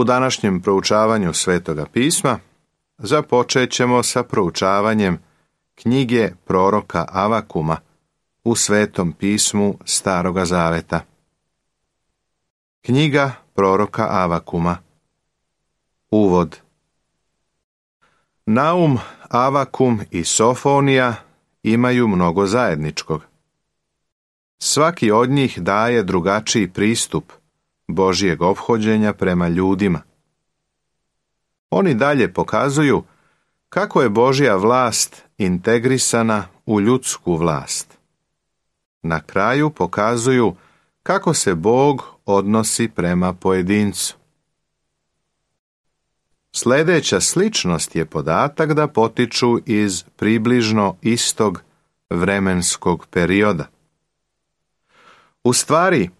U današnjem proučavanju Svetoga pisma započet ćemo sa proučavanjem knjige proroka Avakuma u Svetom pismu Staroga zaveta. Knjiga proroka Avakuma. Uvod. Naum, Avakum i Sofonija imaju mnogo zajedničkog. Svaki od njih daje drugačiji pristup Božjeg ophođenja prema ljudima. Oni dalje pokazuju kako je Božja vlast integrisana u ljudsku vlast. Na kraju pokazuju kako se Bog odnosi prema pojedincu. Sljedeća sličnost je podatak da potiču iz približno istog vremenskog perioda. U stvari,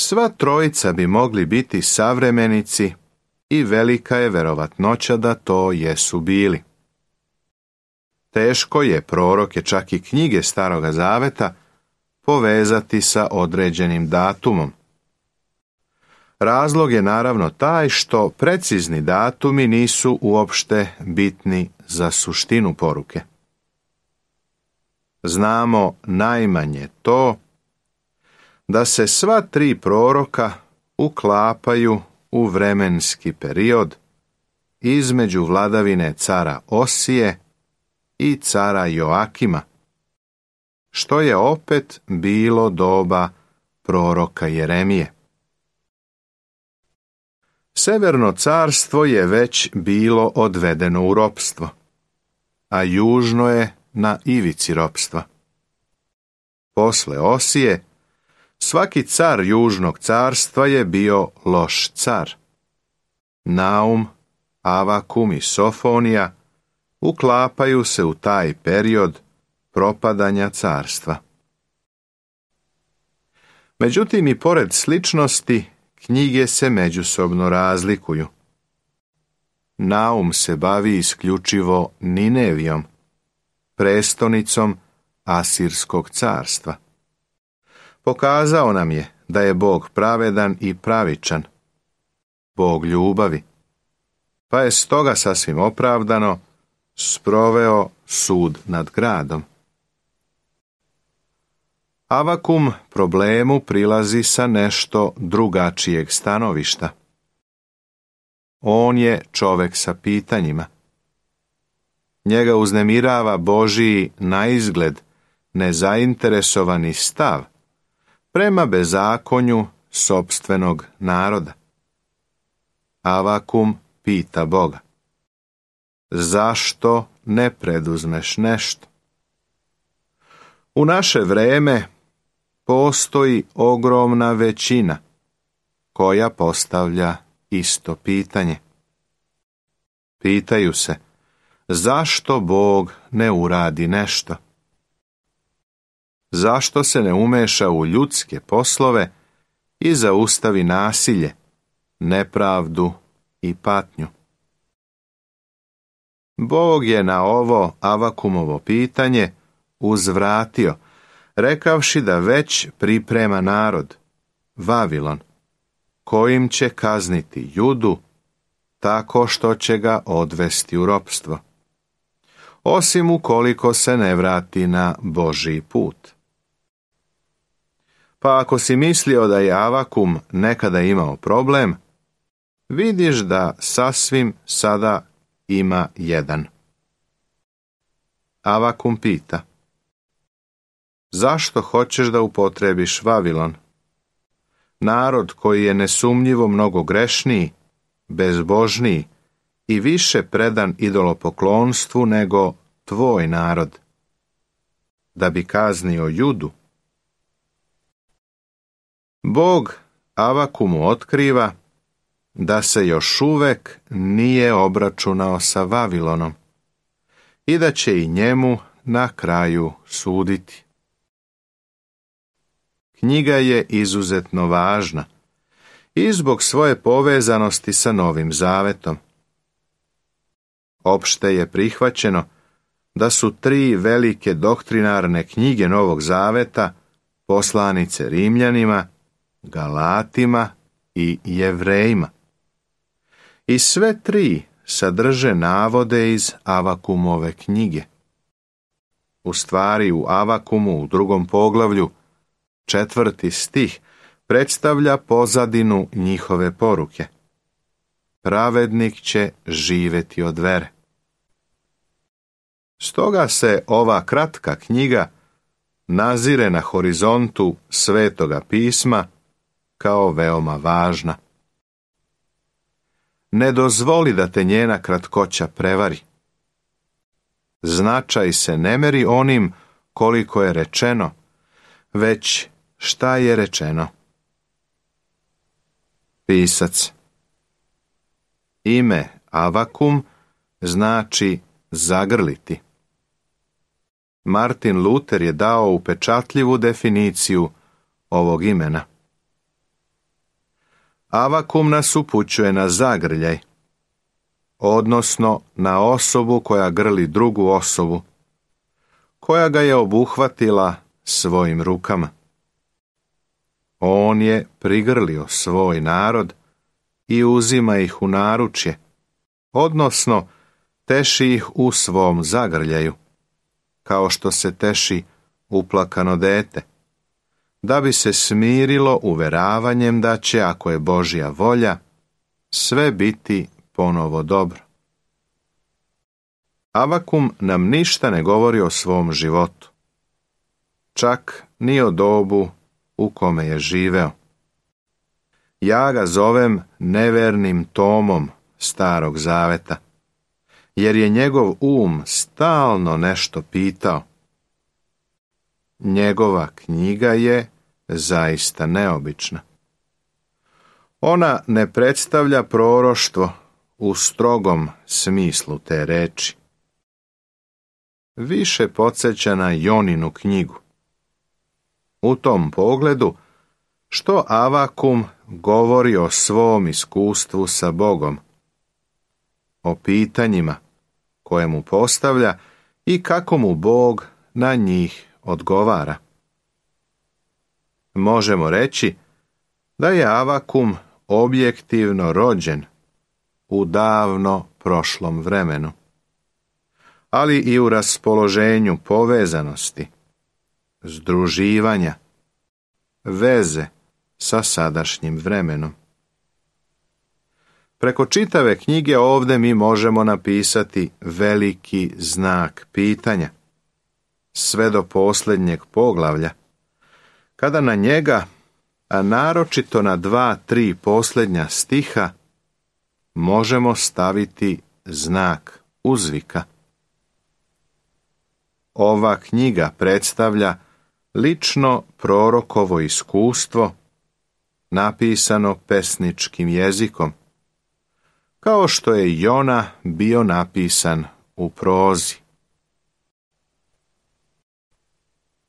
sva trojica bi mogli biti savremenici i velika je verovatnoća da to jesu bili. Teško je proroke, čak i knjige Staroga zaveta, povezati sa određenim datumom. Razlog je naravno taj što precizni datumi nisu uopšte bitni za suštinu poruke. Znamo najmanje to da se sva tri proroka uklapaju u vremenski period između vladavine cara Osije i cara Joakima, što je opet bilo doba proroka Jeremije. Severno carstvo je već bilo odvedeno u ropstvo, a južno je na ivici ropstva. Posle Osije, svaki car južnog carstva je bio loš car. Naum, Avakum i Sofonija uklapaju se u taj period propadanja carstva. Međutim, i pored sličnosti, knjige se međusobno razlikuju. Naum se bavi isključivo Ninevijom, prestonicom Asirskog carstva. Pokazao nam je da je Bog pravedan i pravičan, Bog ljubavi, pa je stoga sasvim opravdano sproveo sud nad gradom. Avakum problemu prilazi sa nešto drugačijeg stanovišta. On je čovek sa pitanjima. Njega uznemirava Božiji naizgled nezainteresovani stav prema bezakonju sopstvenog naroda. Avakum pita Boga: zašto ne preduzmeš nešto? U naše vreme postoji ogromna većina koja postavlja isto pitanje. Pitaju se, zašto Bog ne uradi nešto? Zašto se ne umeša u ljudske poslove i zaustavi nasilje, nepravdu i patnju? Bog je na ovo Avakumovo pitanje uzvratio, rekavši da već priprema narod, Vavilon, kojim će kazniti Judu tako što će ga odvesti u ropstvo, osim ukoliko se ne vrati na Božji put. Pa ako si mislio da je Avakum nekada imao problem, vidiš da sasvim sada ima jedan. Avakum pita: zašto hoćeš da upotrebiš Vavilon? Narod koji je nesumnjivo mnogo grešniji, bezbožniji i više predan idolopoklonstvu nego tvoj narod, da bi kaznio Judu. Bog Avakumu otkriva da se još uvek nije obračunao sa Vavilonom i da će i njemu na kraju suditi. Knjiga je izuzetno važna i zbog svoje povezanosti sa Novim Zavetom. Opšte je prihvaćeno da su 3 velike doktrinarne knjige Novog Zaveta poslanice Rimljanima, Galatima i Jevrejima. I sve tri sadrže navode iz Avakumove knjige. U stvari u Avakumu u 2. poglavlju 4. stih predstavlja pozadinu njihove poruke. Pravednik će živjeti od vere. Stoga se ova kratka knjiga nazire na horizontu Svetoga pisma kao veoma važna. Ne dozvoli da te njena kratkoća prevari. Značaj se ne meri onim koliko je rečeno, već šta je rečeno. Pisac. Ime Avakum znači zagrliti. Martin Luther je dao upečatljivu definiciju ovog imena. Avakum nas upućuje na zagrljaj, odnosno na osobu koja grli drugu osobu, koja ga je obuhvatila svojim rukama. On je prigrlio svoj narod i uzima ih u naručje, odnosno teši ih u svom zagrljaju, kao što se teši uplakano dete, da bi se smirilo uveravanjem da će, ako je Božja volja, sve biti ponovo dobro. Avakum nam ništa ne govori o svom životu, čak ni o dobu u kome je živeo. Ja ga zovem nevernim tomom Starog zaveta, jer je njegov stalno nešto pitao. Njegova knjiga je zaista neobična. Ona ne predstavlja proroštvo u strogom smislu te reči. Više podsjeća na Joninu knjigu. U tom pogledu, što Avakum govori o svom iskustvu sa Bogom, o pitanjima koje mu postavlja i kako mu Bog na njih odgovara. Možemo reći da je Avakum objektivno rođen u davno prošlom vremenu, ali i u raspoloženju povezanosti, združivanja, veze sa sadašnjim vremenom. Preko čitave knjige ovdje mi možemo napisati veliki znak pitanja, sve do posljednjeg poglavlja, kada na njega, a naročito na 2-3 posljednja stiha, možemo staviti znak uzvika. Ova knjiga predstavlja lično prorokovo iskustvo, napisano pesničkim jezikom, kao što je Jona bio napisan u prozi.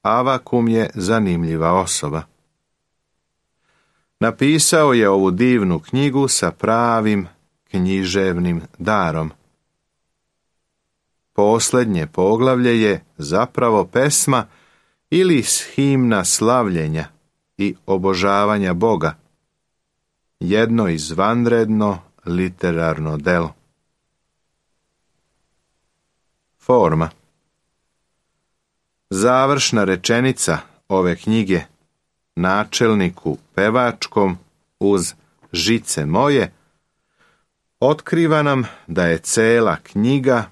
Avakum je zanimljiva osoba. Napisao je ovu divnu knjigu sa pravim književnim darom. Posljednje poglavlje je zapravo pesma ili himna slavljenja i obožavanja Boga, jedno izvanredno literarno delo. Forma. Završna rečenica ove knjige, načelniku pevačkom uz žice moje, otkriva nam da je cela knjiga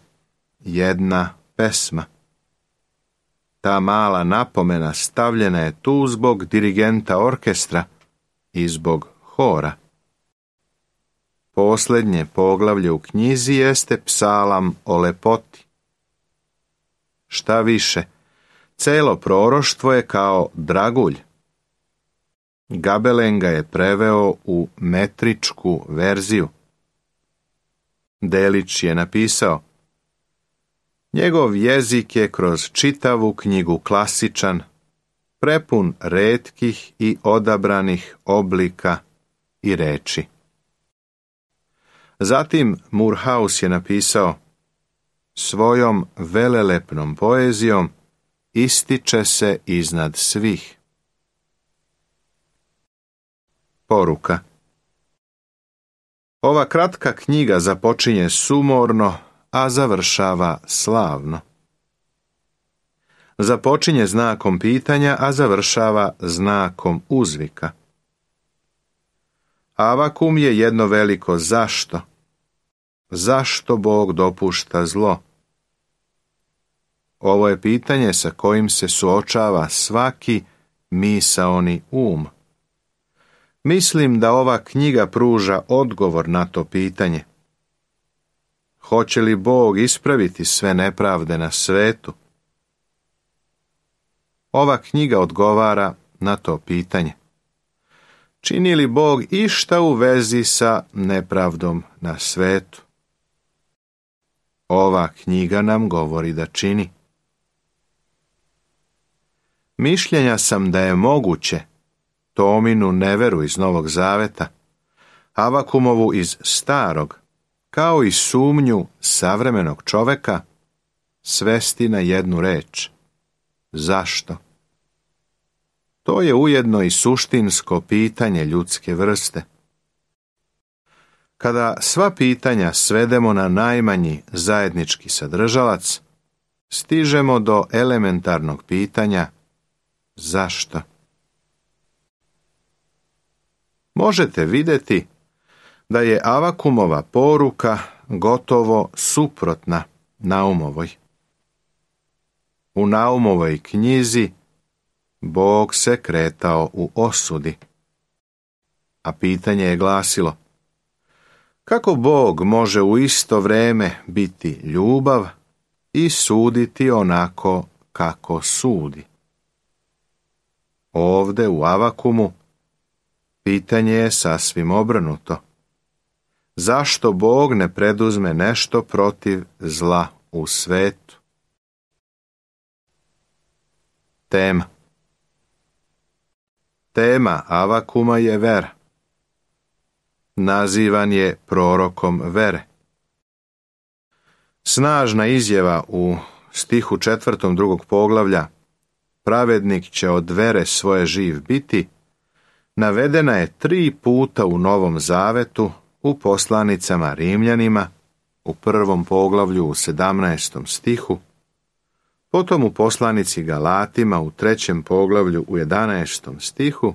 jedna pesma. Ta mala napomena stavljena je tu zbog dirigenta orkestra i zbog hora. Posljednje poglavlje u knjizi jeste psalam o lepoti. Šta više, celo proroštvo je kao dragulj. Gabelen ga je preveo u metričku verziju. Delić je napisao: njegov jezik je kroz čitavu knjigu klasičan, prepun retkih i odabranih oblika i reči. Zatim Murhaus je napisao: svojom velelepnom poezijom ističe se iznad svih. Poruka. Ova kratka knjiga započinje sumorno, a završava slavno. Započinje znakom pitanja, a završava znakom uzvika. Avakum je jedno veliko zašto. Zašto Bog dopušta zlo? Ovo je pitanje sa kojim se suočava svaki misaoni um. Mislim da ova knjiga pruža odgovor na to pitanje. Hoće li Bog ispraviti sve nepravde na svetu? Ova knjiga odgovara na to pitanje. Čini li Bog išta u vezi sa nepravdom na svetu? Ova knjiga nam govori da čini. Mišljenja sam da je moguće Tominu neveru iz Novog Zaveta, Avakumovu iz Starog, kao i sumnju savremenog čoveka, svesti na jednu reč. Zašto? To je ujedno i suštinsko pitanje ljudske vrste. Kada sva pitanja svedemo na najmanji zajednički sadržalac, stižemo do elementarnog pitanja zašto? Možete vidjeti da je Avakumova poruka gotovo suprotna Naumovoj. U Naumovoj knjizi Bog se kretao u osudi, a pitanje je glasilo: kako Bog može u isto vrijeme biti ljubav i suditi onako kako sudi? Ovdje u Avakumu pitanje je sasvim obrnuto. Zašto Bog ne preduzme nešto protiv zla u svetu? Tema Avakuma je vera. Nazivan je prorokom vere. Snažna izjava u stihu 4. 2. poglavlja pravednik će od vere svoje živ biti, navedena je 3 puta u Novom Zavetu, u poslanicama Rimljanima, u 1. poglavlju u 17. stihu, potom u poslanici Galatima u 3. poglavlju u 11. stihu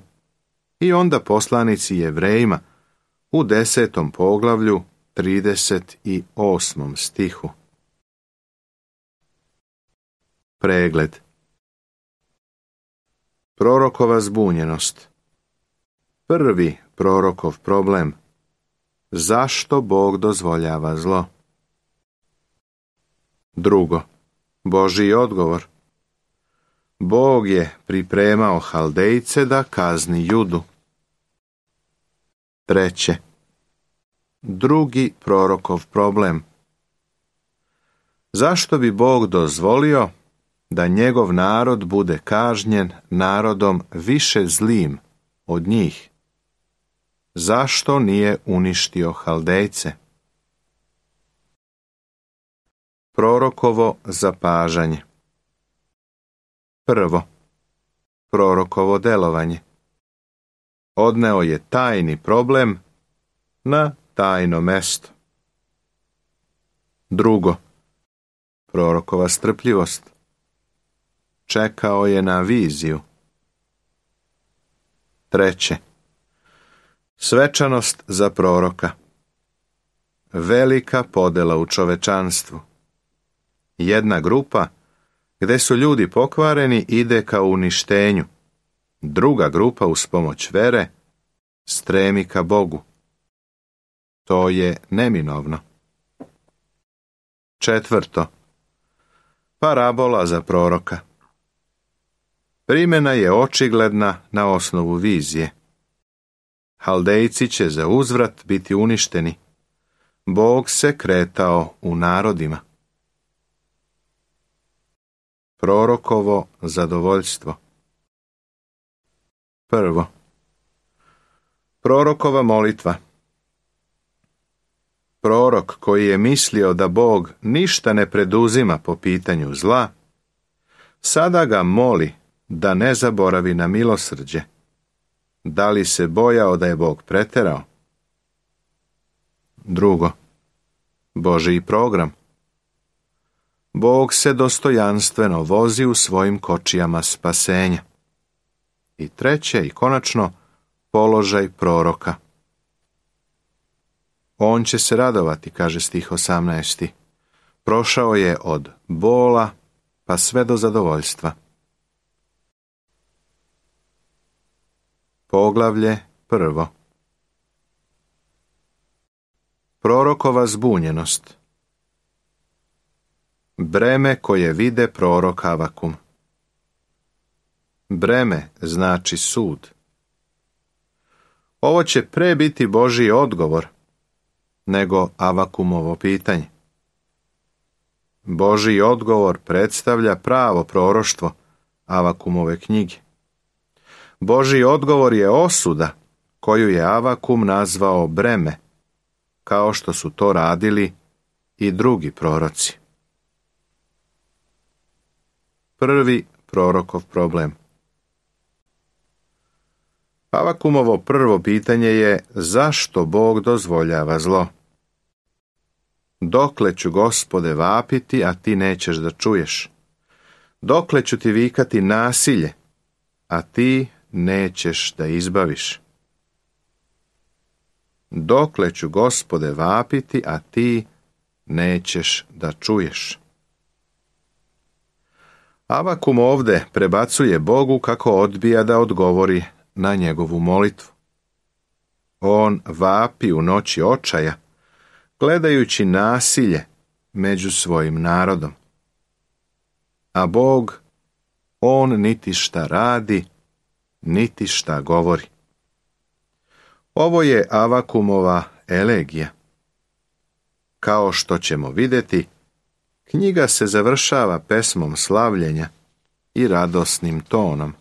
i onda poslanici Jevrejima u 10. poglavlju 38. stihu. Pregled. Prorokova zbunjenost. Prvi prorokov problem. Zašto Bog dozvoljava zlo? Drugo, Božji odgovor. Bog je pripremao Haldejce da kazni Judu. Treće, drugi prorokov problem. Zašto bi Bog dozvolio da njegov narod bude kažnjen narodom više zlim od njih? Zašto nije uništio Haldejce? Prorokovo zapažanje. Prvo, prorokovo delovanje. Odneo je tajni problem na tajno mesto. Drugo, prorokova strpljivost. Čekao je na viziju. Treće, svečanost za proroka. Velika podela u čovečanstvu. Jedna grupa, gdje su ljudi pokvareni, ide ka uništenju. Druga grupa, uz pomoć vere, stremi ka Bogu. To je neminovno. Četvrto, parabola za proroka. Primjena je očigledna na osnovu vizije. Haldejci će za uzvrat biti uništeni. Bog se kretao u narodima. Prorokovo zadovoljstvo. Prvo, prorokova molitva. Prorok koji je mislio da Bog ništa ne preduzima po pitanju zla, sada ga moli da ne zaboravi na milosrđe. Da li se bojao da je Bog preterao? Drugo, Božji program. Bog se dostojanstveno vozi u svojim kočijama spasenja. I treće i konačno, položaj proroka. On će se radovati, kaže stih 18. Prošao je od bola pa sve do zadovoljstva. Poglavlje 1. Prorokova zbunjenost. Breme koje vide prorok Avakum. Breme znači sud. Ovo će pre biti Božji odgovor nego Avakumovo pitanje. Božji odgovor predstavlja pravo proroštvo Avakumove knjige. Božji odgovor je osuda koju je Avakum nazvao breme, kao što su to radili i drugi proroci. Prvi prorokov problem. Avakumovo prvo pitanje je zašto Bog dozvoljava zlo? Dokle ću, Gospode, vapiti, a ti nećeš da čuješ? Dokle ću ti vikati nasilje, a ti nećeš da izbaviš? Dokle ću, Gospode, vapiti, a ti nećeš da čuješ? Avakum ovde prebacuje Bogu kako odbija da odgovori na njegovu molitvu. On vapi u noći očaja, gledajući nasilje među svojim narodom. A Bog, on niti šta radi, niti šta govori. Ovo je Avakumova elegija. Kao što ćemo vidjeti, knjiga se završava pesmom slavljenja i radosnim tonom.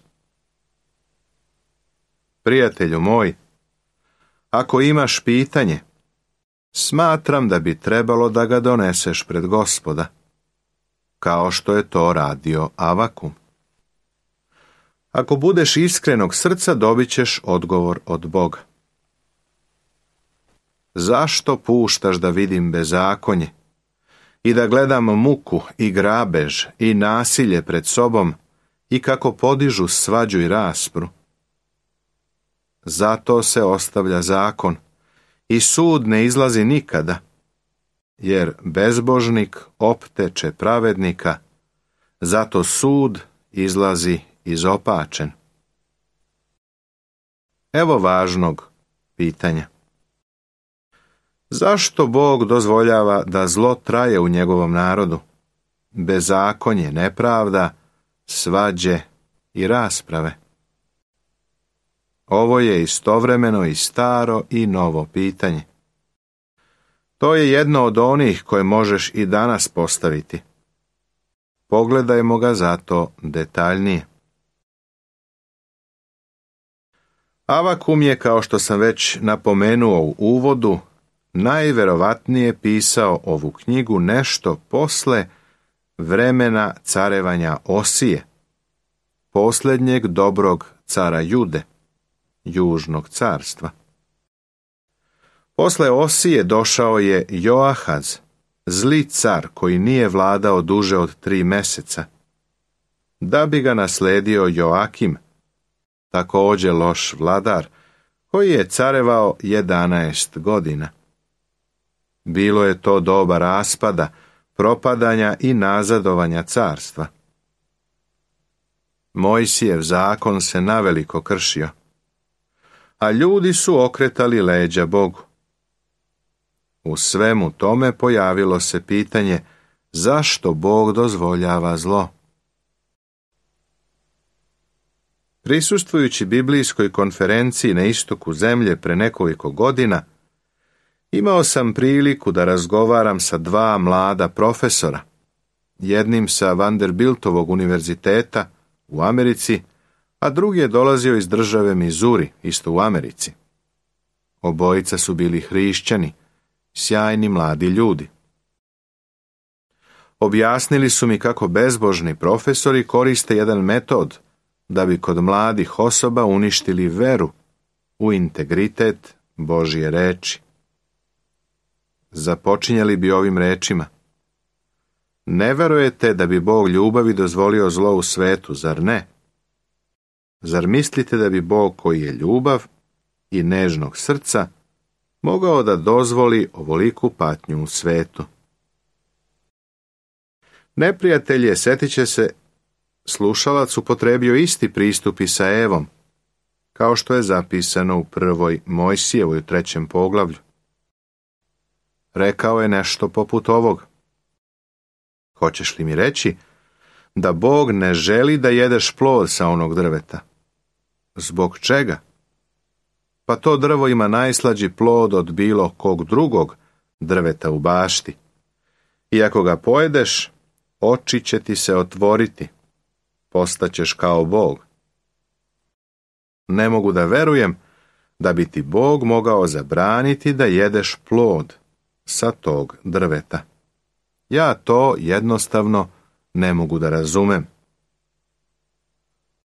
Prijatelju moj, ako imaš pitanje, smatram da bi trebalo da ga doneseš pred Gospoda, kao što je to radio Avakum. Ako budeš iskrenog srca, dobit ćeš odgovor od Boga. Zašto puštaš da vidim bezakonje i da gledam muku i grabež i nasilje pred sobom i kako podižu svađu i raspru? Zato se ostavlja zakon i sud ne izlazi nikada, jer bezbožnik opteče pravednika, zato sud izlazi izopačen. Evo važnog pitanja. Zašto Bog dozvoljava da zlo traje u njegovom narodu? Bezakonje, nepravda, svađe i rasprave. Ovo je istovremeno i staro i novo pitanje. To je jedno od onih koje možeš i danas postaviti. Pogledajmo ga zato detaljnije. Avakum je, kao što sam već napomenuo u uvodu, najverovatnije pisao ovu knjigu nešto posle vremena carevanja Osije, posljednjeg dobrog cara Jude, južnog carstva. Posle Osije došao je Joahaz, zli car koji nije vladao duže od 3 meseca, da bi ga nasledio Joakim, također loš vladar, koji je carevao 11 godina. Bilo je to doba raspada, propadanja i nazadovanja carstva. Mojsijev zakon se naveliko kršio, a ljudi su okretali leđa Bogu. U svemu tome pojavilo se pitanje zašto Bog dozvoljava zlo. Prisustvujući biblijskoj konferenciji na istoku zemlje pre nekoliko godina, imao sam priliku da razgovaram sa 2 mlada profesora, jednim sa Vanderbiltovog univerziteta u Americi, a drugi je dolazio iz države Missouri, isto u Americi. Obojica su bili hrišćani, sjajni mladi ljudi. Objasnili su mi kako bezbožni profesori koriste jedan metod da bi kod mladih osoba uništili veru u integritet Božje reči. započinjali bi ovim rečima: Ne verujete da bi Bog ljubavi dozvolio zlo u svetu, zar ne? Zar mislite da bi Bog, koji je ljubav i nežnog srca, mogao da dozvoli ovoliku patnju u svetu? Neprijatelj je, setit će se, slušalac upotrebio isti pristup i sa Evom, kao što je zapisano u 1. Mojsijevoj u 3. poglavlju. Rekao je nešto poput ovog: Hoćeš li mi reći da Bog ne želi da jedeš plod sa onog drveta? Zbog čega? Pa to drvo ima najslađi plod od bilo kog drugog drveta u bašti. I ako ga pojedeš, oči će ti se otvoriti, postaćeš kao Bog. Ne mogu da verujem da bi ti Bog mogao zabraniti da jedeš plod sa tog drveta. Ja to jednostavno ne mogu da razumem.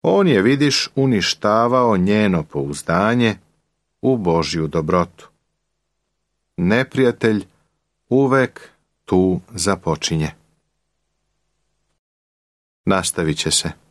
On je, vidiš, uništavao njeno pouzdanje u Božju dobrotu. Neprijatelj uvek tu započinje. Nastavit će se.